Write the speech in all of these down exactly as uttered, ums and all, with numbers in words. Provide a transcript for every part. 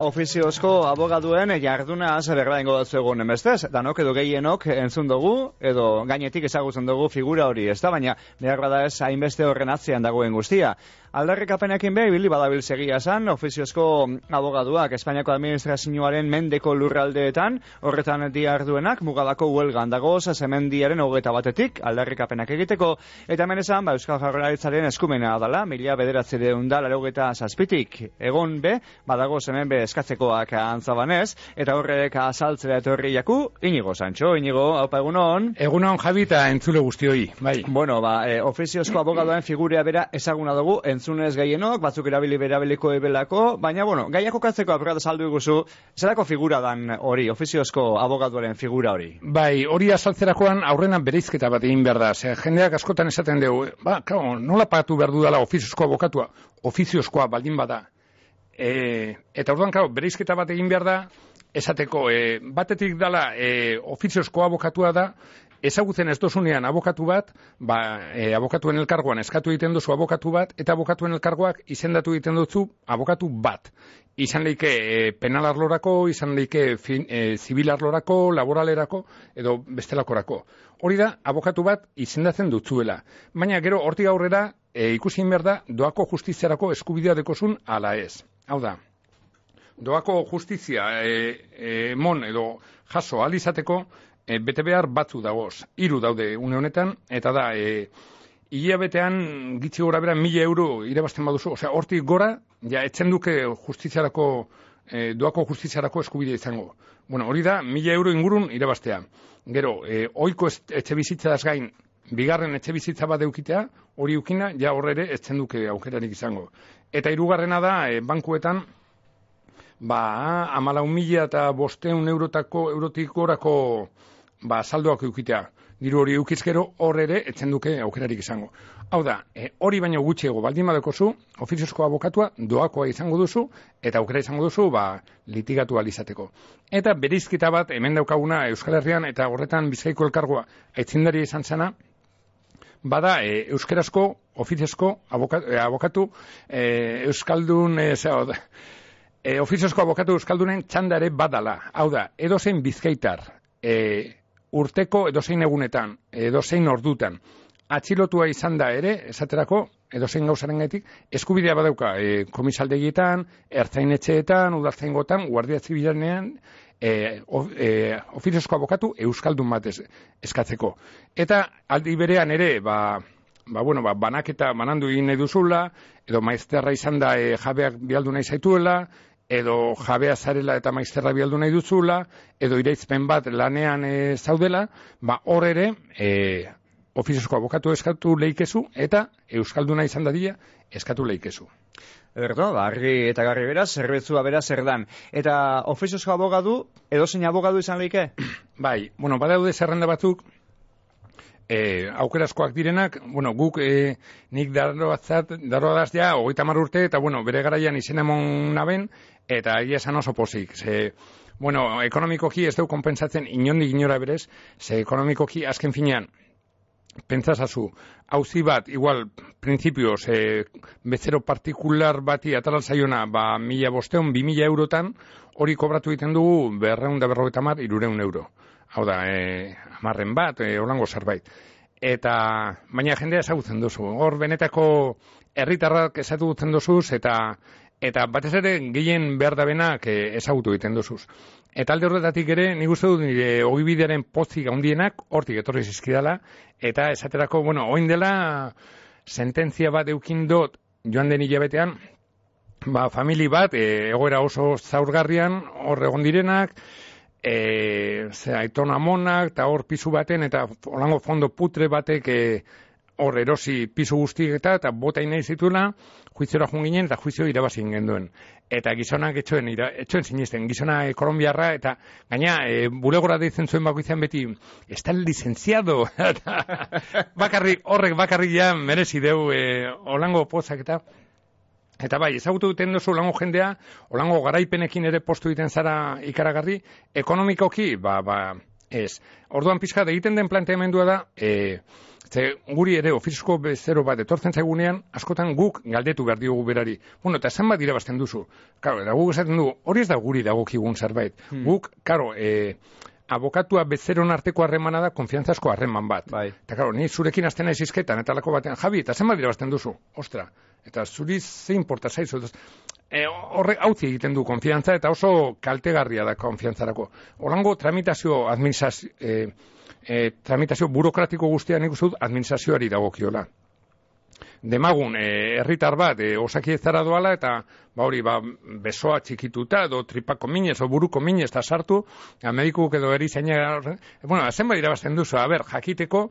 Ofiziozko abogaduen jarduna berba ingo batzu egun emestez, danok edo gehienok entzun dugu, edo gainetik ezagutzen dugu figura hori, ez da, baina behar bada ez hainbeste horren atzean dagoen guztia. Aldarrikapenekin behi, bili badabil segia esan, ofiziozko abogaduak Espainiako administrazioaren mendeko lurraldeetan, horretan diarduenak, mugadako huelgan dagoz, zemendiaren hogeita batetik, aldarrikapenak egiteko, eta hemen esan, ba, Euskal Jaurlaritzaren eskumena dela, mila bederatzireun da, laurogeita zazpitik, egon be, badagoz hemen be eskatzekoak antzabanez, eta horrek azaltzera etorri jaku, Inigo Santxo, Inigo, haupa egunon. Egunon Javi eta entzule guztioi, bai. Bueno, ba, e, ofiziozko abogaduen figurea bera ezaguna dugu, entzunez gehienok, batzuk erabili berabiliko ebelako, baina, bueno, gaiako katzeko apurata saldu iguzu, zerako figura dan hori, ofiziozko abogaduaren figura hori? Bai, hori azaltzerakoan aurrena bereizketa bat egin behar da, ze jendeak askotan esaten dugu, ba, claro, nola pagatu behar dudala ofiziozko abokatua, ofiziozkoa baldin bada. E, eta orduan, claro, bereizketa bat egin behar da, esateko, e, batetik dala e, ofiziozko abokatua da, ezagutzen ez dozunean abokatu bat, ba, e, abokatuen elkargoan eskatu egiten duzu abokatu bat, eta abokatuen elkargoak izendatu egiten duzu abokatu bat. Izan leike e, penal arlorako, izan leike fin, e, zibil arlorako, laboralerako, edo bestelakorako. Hori da, abokatu bat izendatzen dutzuela. Baina gero hortik aurrera, e, ikusi behar da, doako justiziarako eskubidea dekozun ala ez. Hau da, doako justizia e, emon edo jaso alizateko, E, bete behar batzu dagoz, hiru daude une honetan, eta da, e, hilabetean gitzi gora bera mila euro irabazten baduzu, osea, hortik gora, ja, etzen duke justiziarako, e, doako justiziarako eskubidea izango. Bueno, hori da, mila euro ingurun irabaztea. Gero, e, oiko etxe bizitzaz gain, bigarren etxe bizitza bat eukitea, hori ukina, ja horre ere etzen duke aukerarik izango. Eta hirugarrena da, e, bankuetan, ba, amalau mila eta bosteun eurotako, eurotik gorako, ba, saldoak eukitea. Diru hori eukizkero horre ere etzen duke aukerarik izango. Hau da, e, hori baino gutxiego baldin badekozu, ofiziozko abokatua doakoa izango duzu, eta aukera izango duzu, ba, litigatu alizateko. Eta bereizketa bat, hemen daukaguna Euskal Herrian, eta horretan Bizkaiko elkargoa aitzindari izan zena, bada, e, euskerazko, ofiziozko abokatu, e, abokatu e, euskaldun, e, zera, e, ofiziozko abokatu euskaldunen txanda ere badala. Hau da, edozein bizkaitar, e, urteko edozein egunetan, edozein ordutan, atxilotua izan da ere, esaterako, edozein gauzaren gaitik, eskubidea badauka e, komisaldegietan, ertzainetxeetan, udaltzaingotan, guardia zibilanean, e, of, e, ofiziozko abokatu euskaldun bat eskatzeko. Eta aldi berean ere, ba, ba, bueno, ba, banaketa banandu egin nahi duzula, edo maizterra izan da e, jabeak bialdu nahi zaituela, edo jabea zarela eta maizterra bialdu nahi duzula, edo iraizpen bat lanean e, zaudela, ba hor ere, e, ofiziozko abokatu eskatu leikezu, eta euskalduna izan dadila eskatu leikezu. Erdo, ba, argi eta garri beraz, zerbetzua beraz zer dan. Eta ofiziozko abogadu, edozein abogadu izan leike? Bai, bueno, badaude zerrenda batzuk, E, aukerazkoak direnak, bueno, guk e, nik daroazat, daroaz ja, hogeita hamar urte, eta bueno, bere garaian izen emon naben, eta egia esan oso pozik. Ze, bueno, ekonomikoki ez dugu konpensatzen inondik inora berez, ze ekonomikoki azken finean, pentsasazu, auzi bat, igual, printzipioz, e, bezero partikular bati atalal zaiona, ba, mila bosteun, bi mila eurotan, hori kobratu egiten dugu, berreun da berrogeita hamar, irureun euro. Hau da, e, amarren bat, e, holango zerbait. Eta, baina jendea ezagutzen duzu. Hor, benetako herritarrak ezagutzen duzuz, eta eta batez ere gehien behar da benak e, ezagutu egiten duzuz. Eta alde horretatik ere, nik uste dut nire ogibidearen pozik handienak hortik etorri zizkidala, eta esaterako, bueno, oin dela sententzia bat eukin dut joan den hilabetean, ba, famili bat, e, egoera oso zaurgarrian, hor egon direnak, E, ze aitona monak, eta hor pisu baten, eta holango fondo putre batek e, hor erosi pisu guztiek eta, eta bota nahi zituela, juiziora joan ginen, eta juizio irabazin genduen. Eta gizonak etxoen, ira, etxoen sinisten, gizona e, kolombiarra, eta gaina, e, bulegora deitzen zuen bakoizean beti, está el licenciado, bakarrik, horrek bakarrik ja merezi deu, e, holango pozak eta, Eta bai, ezagutu duten duzu olango jendea, olango garaipenekin ere postu egiten zara ikaragarri, ekonomikoki, ba, ba, Ez. Orduan pizkat egiten den planteamendua da, e, ze guri ere ofiziosko bezero bat etortzen zaigunean, askotan guk galdetu behar diogu berari. Bueno, eta zenbat irabazten duzu? Karo, eta guk esaten du, hori ez da guri dagokigun zerbait. Hmm. Guk, karo, e, abokatua bezeron arteko harremana da konfiantzazko harreman bat. Bai. Eta karo, ni zurekin azten naiz izketan, eta lako batean, Javi, eta zenbat irabazten duzu? Ostra, eta zuri ze importa zaizu. E, horre hauzi egiten du konfiantza, eta oso kaltegarria da konfiantzarako. Horango tramitazio administrazio, e, e, tramitazio burokratiko guztia nik uste dut administrazioari dagokiola. Demagun, herritar bat, e, osakidetzara doala, eta ba hori, ba, besoa txikituta, edo tripako minez, o buruko minez, eta sartu, medikuk edo erizaina, bueno, zenbat irabazten duzu, a ber, jakiteko,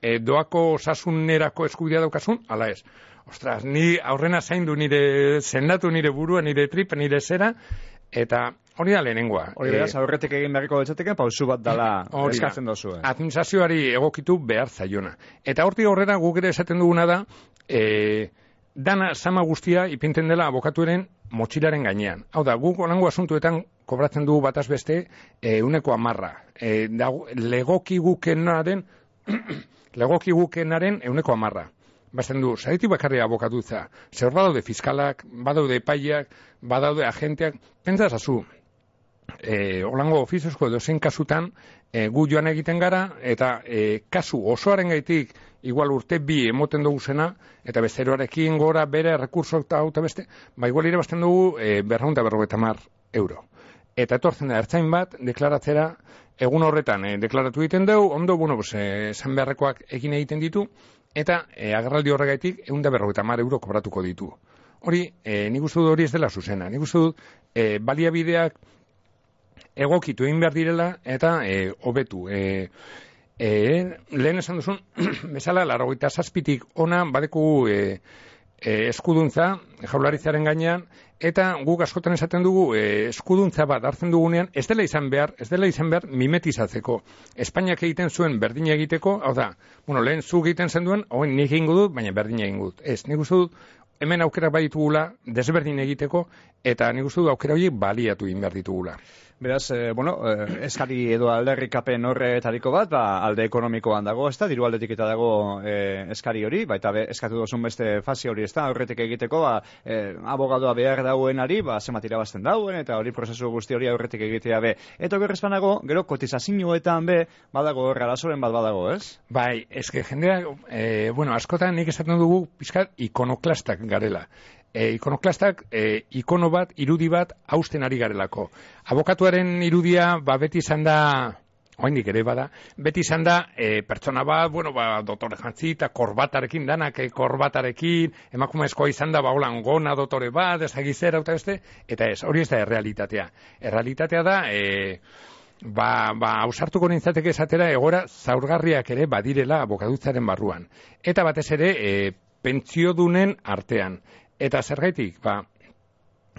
e, doako osasunerako eskubidea daukasun, ala ez. Ostras, ni aurrena zaindu nire, sendatu nire burua, nire trip, nire zera, eta hori da lehenengoa. Hori beraz, aurretik egin beharriko betxateke, pausu bat dala eskatzen dozu. Eh? Administrazioari egokitu behar zaiona. Eta hortik aurrera guk ere esaten duguna da, e, dana sama guztia ipinten dela abokatuaren motxilaren gainean. Hau da, guk onango asuntuetan kobratzen dugu bataz beste e, uneko amarra. E, da, legoki gukenaren, legoki gukenaren euneko amarra. Basten du, zaretik bakarri abokatutza. Zer badaude fiskalak, badaude epaiak, badaude agenteak, pentsazazu, e, olango ofiziozko edo zein kasutan, e, gu joan egiten gara, eta e, kasu osoaren gaitik, igual urte bi emoten dugu zena, eta bezeroarekin gora bere rekurso eta auta beste, ba igual irabazten dugu e, berraunda berrogeta mar euro. Eta etortzen da ertzain bat, deklaratzera, egun horretan e, deklaratu egiten dugu, ondo, bueno, pues, e, zan beharrekoak egin egiten ditu, eta e, agerraldi horregaitik ehun eta berrogeita hamar euro kobratuko ditu. Hori, e, nik uste dut hori ez dela zuzena. Nik uste dut e, baliabideak egokitu egin behar direla eta e, hobetu. E, e, lehen esan duzun, bezala, laurogeita zazpitik ona badeku e, e, eskuduntza jaurlaritzaren gainean, eta guk askotan esaten dugu e, eskuduntza bat hartzen dugunean, ez dela izan behar, ez dela izan behar mimetizatzeko. Espainiak egiten zuen berdina egiteko, hau da, bueno, lehen zu egiten zen duen, hoen nik egingo dut, baina berdina egingo dut. Ez, nik uste dut, hemen aukera baitugula desberdin egiteko, eta nik uste dut aukera horiek baliatu egin behar ditugula. Beraz, eh, bueno, eh, eskari edo alderrikapen horretariko bat, ba, alde ekonomikoan dago, ez da, diru aldetik eta dago eh, eskari hori, baita be, eskatu dozun beste fase hori, ez da, horretik egiteko, ba, eh, abogadoa behar dauenari, ba, zenbat irabazten dauen, eta hori prozesu guzti hori horretik egitea be. Eta gerrezpanago, gero, kotizazioetan be, badago horra lasoren bat badago, ez? Bai, eske jendeak, eh, bueno, askotan nik esaten dugu pizkat ikonoklastak garela. E, ikonoklastak, e, ikono bat, irudi bat, hausten ari garelako. Abokatuaren irudia, ba, beti izan da, oindik ere bada, beti izan da, e, pertsona bat, bueno, ba, dotore jantzi, eta korbatarekin danak, e, korbatarekin, emakumezkoa izan da, ba, holan, gona dotore bat, ezagizera, eta beste, eta ez, hori ez da errealitatea. Errealitatea da, e, ba, ba, ausartuko nintzateke esatera, egora zaurgarriak ere badirela abokatutzaren barruan. Eta batez ere, e, pentsiodunen artean. Eta zergaitik, ba,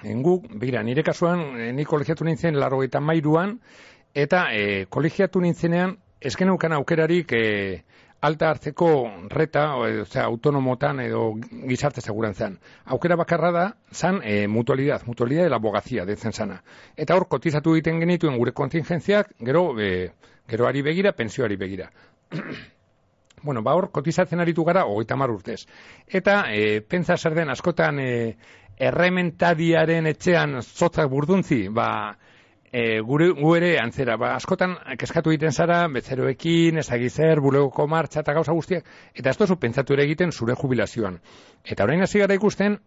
enguk, bira, nire kasuan, ni kolegiatu nintzen laurogeita hamairuan, eta e, kolegiatu nintzenean, ez geneukan aukerarik e, alta hartzeko reta, osea, autonomotan edo gizarte segurantzan. Aukera bakarra da, zan e, mutualidad, mutualidad de la abogazia, detzen zana. Eta hor, kotizatu egiten genituen gure kontingentziak, gero, e, geroari begira, pensioari begira. Bueno, ba hor, kotizatzen aritu gara, hogeita hamar urtez. Eta, e, pentsa zer den, askotan, e, errementadiaren etxean zotzak burduntzi, ba, e, gure, gu ere antzera, ba, askotan, keskatu egiten zara, bezeroekin, ezagizer, bulegoko martxa eta gauza guztiak, eta ez tozu pentsatu ere egiten zure jubilazioan. Eta orain hasi gara ikusten,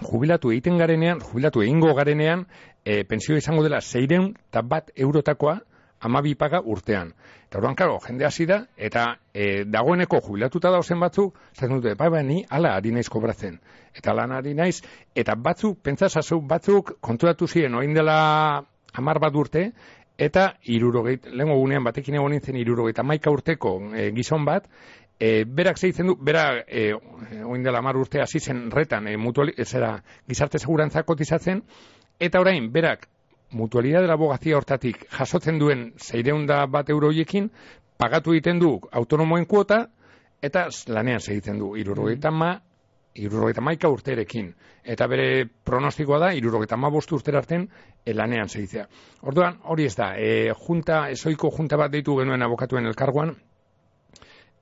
jubilatu egiten garenean, jubilatu egingo garenean, e, pentsio izango dela seiehun eta bat eurotakoa, hamabi paga urtean. Eta orduan, karo, jende hasi da, eta e, dagoeneko jubilatuta dauzen batzuk, zaten dute, bai, bai, ni ala ari naiz kobratzen. Eta lan ari naiz, eta batzuk, pentsasazu, batzuk konturatu ziren, oin dela hamar bat urte, eta irurogeit, lehenko gunean batekin egon nintzen irurogeit amaika urteko e, gizon bat, e, berak zeitzen du, bera, e, oin dela hamar urte hasi zen retan, e, mutuali, zera, gizarte segurantza kotizatzen, eta orain, berak, mutualidad de la abogazia hortatik jasotzen duen seiehun bat euro horiekin pagatu egiten du autonomoen kuota eta lanean segitzen du hirurogeita hamar hirurogeita hamaika urterekin. Eta bere pronostikoa da, hirurogeita hamabost urtera arten lanean segitzea. Orduan, hori ez da, e, junta, ezoiko junta bat deitu genuen abokatuen elkargoan,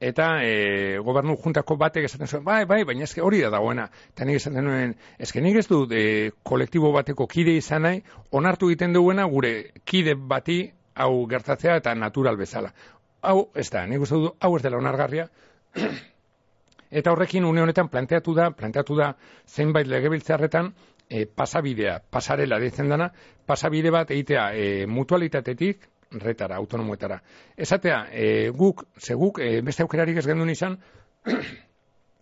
eta e, gobernu juntako batek esaten zuen, bai, bai, baina eske hori da dagoena. Eta nik esaten nuen, eske nik ez dut e, kolektibo bateko kide izan nahi, onartu egiten duena gure kide bati hau gertatzea eta natural bezala. Hau, ez da, nik uste dut, hau ez dela onargarria. Eta horrekin une honetan planteatu da, planteatu da zenbait legebiltzarretan e, pasabidea, pasarela deitzen dana, pasabide bat egitea e, mutualitatetik retara, autonomoetara. Esatea, e, guk, ze guk, e, beste aukerarik ez gendun izan,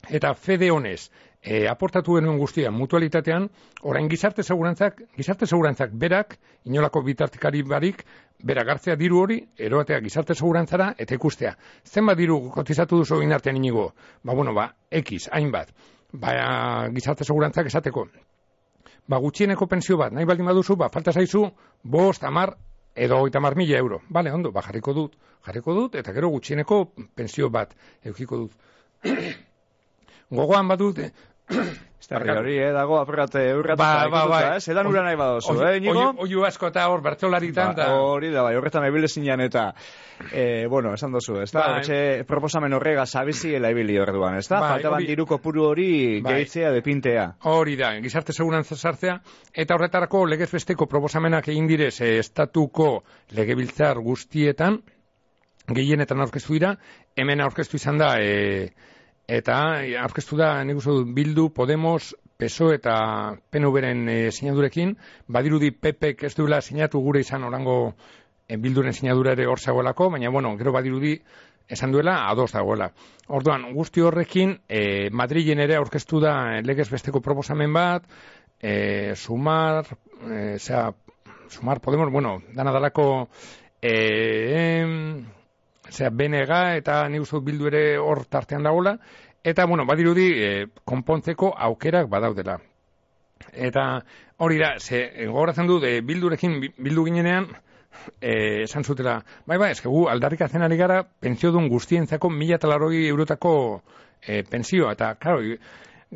eta fede honez, e, aportatu genuen guztia mutualitatean, orain gizarte segurantzak, gizarte segurantzak berak, inolako bitartikari barik, berak hartzea diru hori, eroatea gizarte segurantzara, eta ikustea. Zenbat diru kotizatu duzu egin artean inigo? Ba, bueno, ba, X, hainbat. Ba, gizarte segurantzak esateko. Ba, gutxieneko pensio bat, nahi baldin baduzu, ba, falta zaizu, bost, amar, edo hogeita hamar mila euro. Bale, ondo, ba, jarriko dut. Jarriko dut, eta gero gutxieneko pensio bat eukiko dut. Gogoan badut, Estarri hori, eh, dago apurrate eurratuta ba, ba, ba, eh? Zedan ura nahi badozu, eh, Inigo? Oiu asko eta hor, bertsolaritan. Ba, hori da, bai, horretan ebile zinean eta, eh, bueno, esan dozu, ez da? Ba, Hortxe proposamen horrega sabiziela ibili horretuan, ez da? Ba, faltaban diruko puru hori ba, gehitzea depintea. Hori da, gizarte segurantza sartzea, eta horretarako legez besteko proposamenak egin direz eh, estatuko legebiltzar guztietan, gehienetan aurkeztu dira, hemen aurkeztu izan da, eh, eta aurkeztu da, nik uste dut, Bildu, Podemos, P S O E eta P N V-ren e, sinadurekin, badirudi P P-ek ez duela sinatu gure izan orango e, Bilduren sinadura ere hor zagoelako, baina bueno, gero badirudi esan duela ados dagoela. Orduan, guzti horrekin, e, Madrilen ere aurkeztu da legez besteko proposamen bat, e, sumar, e, zera, sumar Podemos, bueno, dana dalako, e, em, Osea, B N G eta nik uste Bildu ere hor tartean dagoela, eta, bueno, badirudi, e, konpontzeko aukerak badaudela. Eta hori da, ze, gogoratzen du, de Bildurekin, Bildu ginenean, e, esan zutela, bai, bai, eskegu, aldarrikatzen ari gara, pentsiodun guztientzako mila eta laroi eurotako e, pentsioa, eta, klaro,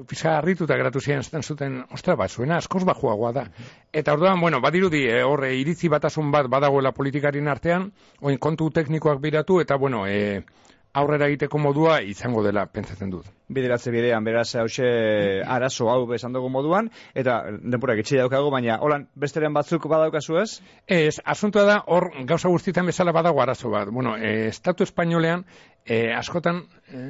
pizka harrituta geratu ziren zaten zuten, ostra, bat, zuena askoz bajuagoa da. Eta orduan, bueno, badirudi, e, horre, iritzi batasun bat badagoela politikarien artean, oin kontu teknikoak biratu, eta, bueno, e, aurrera egiteko modua izango dela, pentsatzen dut. Bideratze bidean, beraz, hause arazo hau bezan dugu moduan, eta denpurak itxi daukagu, baina, holan, besteren batzuk badaukazu ez? Ez, asuntua da, hor, gauza guztietan bezala badago arazo bat. Bueno, e, Estatu Espainolean, e, askotan, e,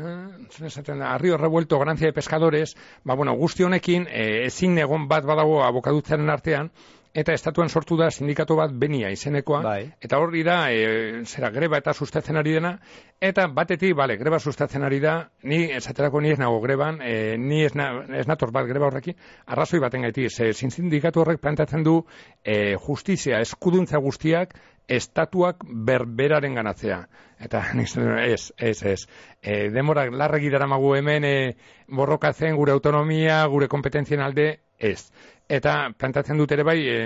esaten da, Arrio Revuelto, Grancia de Pescadores, ba, bueno, guzti honekin, e, ezin egon bat badago abokadutzaren artean, eta estatuan sortu da sindikatu bat Benia izenekoa, bai. Eta hori da, e, zera, greba eta sustatzen ari dena, eta batetik, bale, greba sustatzen ari da, ni, esaterako ni ez nago greban, e, ni ez, na, ez nator bat greba horrekin, arrazoi baten gaiti, ze sindikatu horrek plantatzen du e, justizia, eskuduntza guztiak, estatuak berberaren ganatzea. Eta ez, ez, ez. E, demorak larregi daramagu hemen e, borrokatzen gure autonomia, gure kompetentzien alde, ez. Eta plantatzen dut ere bai, e,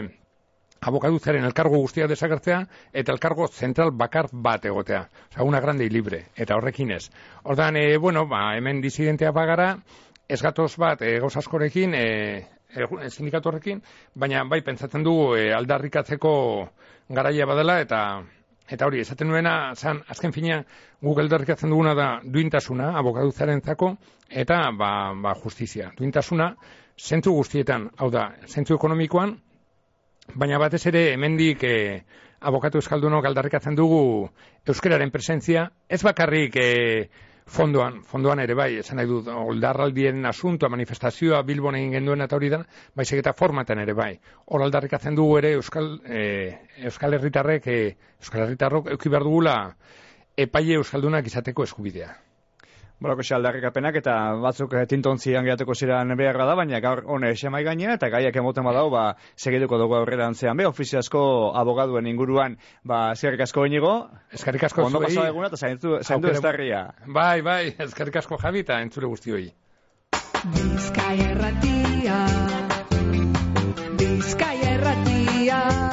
abokadutzaren elkargo guztiak desagertzea, eta elkargo zentral bakar bat egotea. Osa, una grande y libre, eta horrekin ez. Ordan, e, bueno, ba, hemen disidentea bagara, ez gatoz bat, e, gauz askorekin, e, e, sindikatu horrekin, baina bai pentsatzen dugu e, aldarrikatzeko garaia badela, eta eta hori, esaten nuena, zan, azken fina, Google aldarrikatzen duguna da duintasuna, abokadutzarentzako, eta ba, ba, justizia. Duintasuna, zentzu guztietan, hau da, zentzu ekonomikoan, baina batez ere hemendik e, abokatu euskaldunok aldarrikatzen dugu euskararen presentzia, ez bakarrik e, fondoan, fondoan ere bai, esan nahi dut, oldarraldien asuntoa, manifestazioa, Bilbon egin genduen eta hori da, baizik eta formatan ere bai. Hor aldarrikatzen dugu ere euskal, e, euskal herritarrek, e, euskal herritarrok euki behar dugula epaile euskaldunak izateko eskubidea. Bolako xe aldarrikapenak eta batzuk tintontzian geratuko ziren beharra da, baina gaur hone esemai gainera eta gaiak emoten badau, ba, segituko dugu aurrera antzean be, ofiziazko abogaduen inguruan, ba, eskerrik asko Inigo. Eskerrik asko zuei. Ondo pasau eguna eta zaindu, zaindu estarria. Bai, bai, eskerrik asko Javi eta entzule guztioi. Bizkaia erratia, Bizkaia erratia.